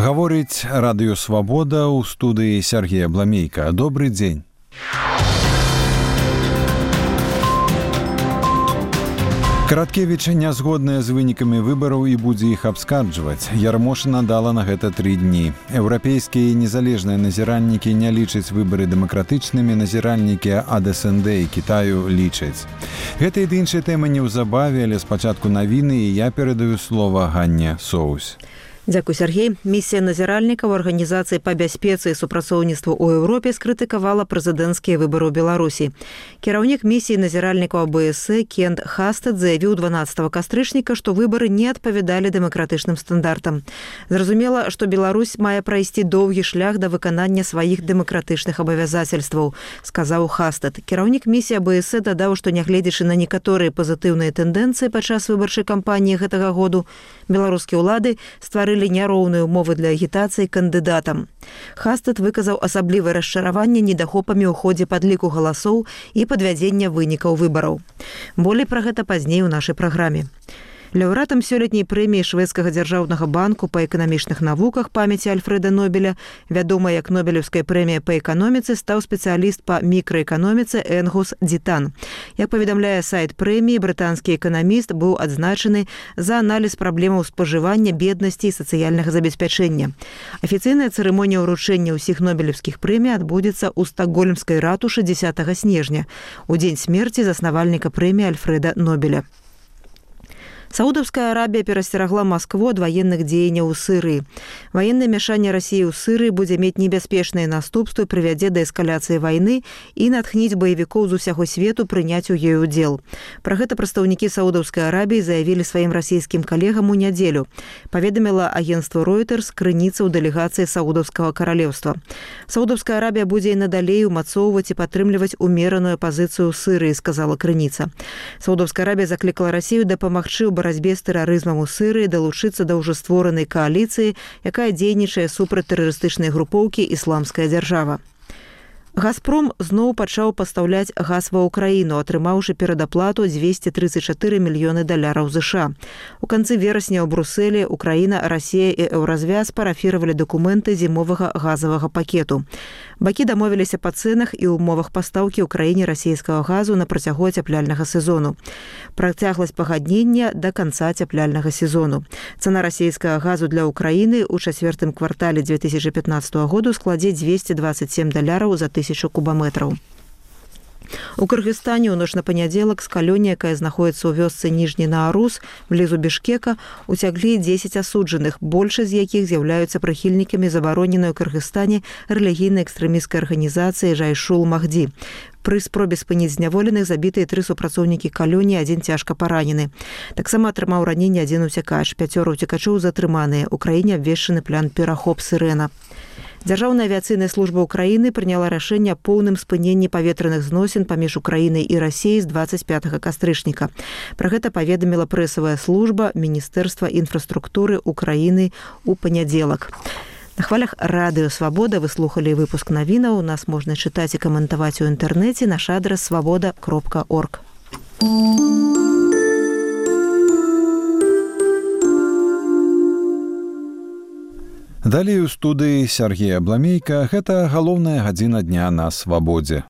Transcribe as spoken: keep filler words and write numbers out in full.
Гаворыць радыё «Свабода», ў студыі Сергея Бламейка. Добры дзень. Караткевіч нязгодная з вынікамі выбараў і будзе іх абскарджваць. Ярмошына дала на гэта тры дні. Еўрапейскія незалежныя назіраннікі не лічаць выбары дэмакратычнымі, назіральнікі ад эс эн дэ і Кітаю лічаць. Гэта і іншыя тэмы неўзабаве, але спачатку навіны, і я перадаю слова Ганне Соус. Дзякуй, Сергей. Місія назіральнікаў Арганізацыі па бяспецы і супрацоўніцтву ў Еўропе скрытыкавала прэзідэнцкія выбары ў Беларусі. Кіраўнік місіі назіральнікаў а бэ эс э Кент Хастэд заявіў дванаццатага кастрычніка, што выбары не адпавядалі дэмакратычным стандартам. Зразумела, што Беларусь мае прайсці доўгі шлях да выканання сваіх дэмакратычных абавязацельстваў, сказаў Хастэд. Кіраўнік місіі а бэ эс э дадаў, што нягледзячы на некаторыя пазітыўныя тэндэнцыі падчас выбарчай кампаніі гэтага году, беларускія ўлады стварылі няроўныя ўмовы для агітацыі кандыдатам. Хастэд выказаў асаблівае расчараванне недахопамі ў ходзе падліку галасоў і падвядзення вынікаў выбараў. Болей пра гэта пазней у нашай праграме. Лаўрэатам сёлетняй прэміі шведскага дзяржаўнага банку па эканамічных навуках памяці Альфрэда Нобеля, вядома як Нобелеўская прэмія па эканоміцы, стаў спецыяліст па мікраэканоміцы Энгус Дзітан. Як паведамляе сайт прэміі, брытанскі эканаміст быў адзначаны за аналіз праблемаў спажывання, беднасці і сацыяльнага забеспячэння. Афіцыйная цырымонія ўручэння ўсіх нобелеўскіх прэмій адбудзецца ў стакгольмскай ратушы дзесятага снежня, у дзень смерці заснавальніка прэміі Альфрэда Нобеля. Саудаўская Арабія перасцерагла Маскву ад ваенных дзеянняў у Сырыі. Ваеннае мяшанне Расіі ў Сырыі будзе мець небяспечныя наступствы, прывядзе да эскаляцыі вайны і натхніць баевікоў з усяго свету прыняць у ёй удзел. Пра гэта прадстаўнікі Саудаўскай Арабіі заявілі сваім расійскім калегам у нядзелю, паведаміла агенцтва Reuters крыніца ў дэлегацыі Саудаўскага каралеўства. Саудаўская Арабія будзе і надалей умацоўваць і падтрымліваць умераную пазіцыю ў Сырыі, сказала крыніца. Саудаўская Арабія заклікала Расію дапамагчы ў барацьбе з тэрарызмам у Сырыі далучыцца да ўжо створанай кааліцыі, якая дзейнічае супраць тэрарыстычнай групоўкі «Ісламская дзяржава». «Газпром» зноў пачаў пастаўляць газ ва ўкраіну, атрымаўшы перадаплату дзвесце трыццаць чатыры мільёны даляраў ЗША. У канцы верасня ў Брусэлі Украіна, Расія і Еўразвяз парафіравалі дакументы зімовага газавага пакету. Бакі дамовіліся па цэнах і ўмовах пастаўкі ў краіне расійскага газу на працягу ацяпляльнага сезону. Працягласць пагаднення да канца ацяпляльнага сезону. Цана расійскага газу для Украіны ў чацвёртым квартале дзве тысячы пятнаццатага году складзе дзвесце дваццаць сем даляраў за тысячу кубаметраў. У Кыргызстане ў ноч на панядзелак з калёні, якая знаходіцца ў вёсцы Ніжні Наарус, блізу Бішкека, уцяглі дзесяць асуджаных, большасць з якіх з'яўляюцца прыхільнікамі забароненай у Кыргызстане рэлігійнай экстрэмісцкай арганізацыі Жайшул Махді. Пры спробе спыніць зняволеных забітыя тры супрацоўнікі калёні, адзін цяжка паранены. Таксама атрымаў раненне адзін уцякач, пяцёра уцекачоў затрыманыя. У краіне абвешчаны план перахоп сірэна. Дзяржаўная авіяцыйная служба Украіны прыняла рашэнне аб поўным спыненні паветраных зносін паміж Украінай і Расіяй з дваццаць пятага кастрычніка. Пра гэта паведаміла прэсавая служба Міністэрства інфраструктуры Украіны ў панядзелак. На хвалях радыё «Свабода» вы слухалі выпуск навінаў. Нас можна чытаць і каментаваць у інтэрнэце. Наш адрас свабода кропка орг. Далей у студыі Сергея Бламейка. Гэта галоўная гадзіна дня на «Свабодзе».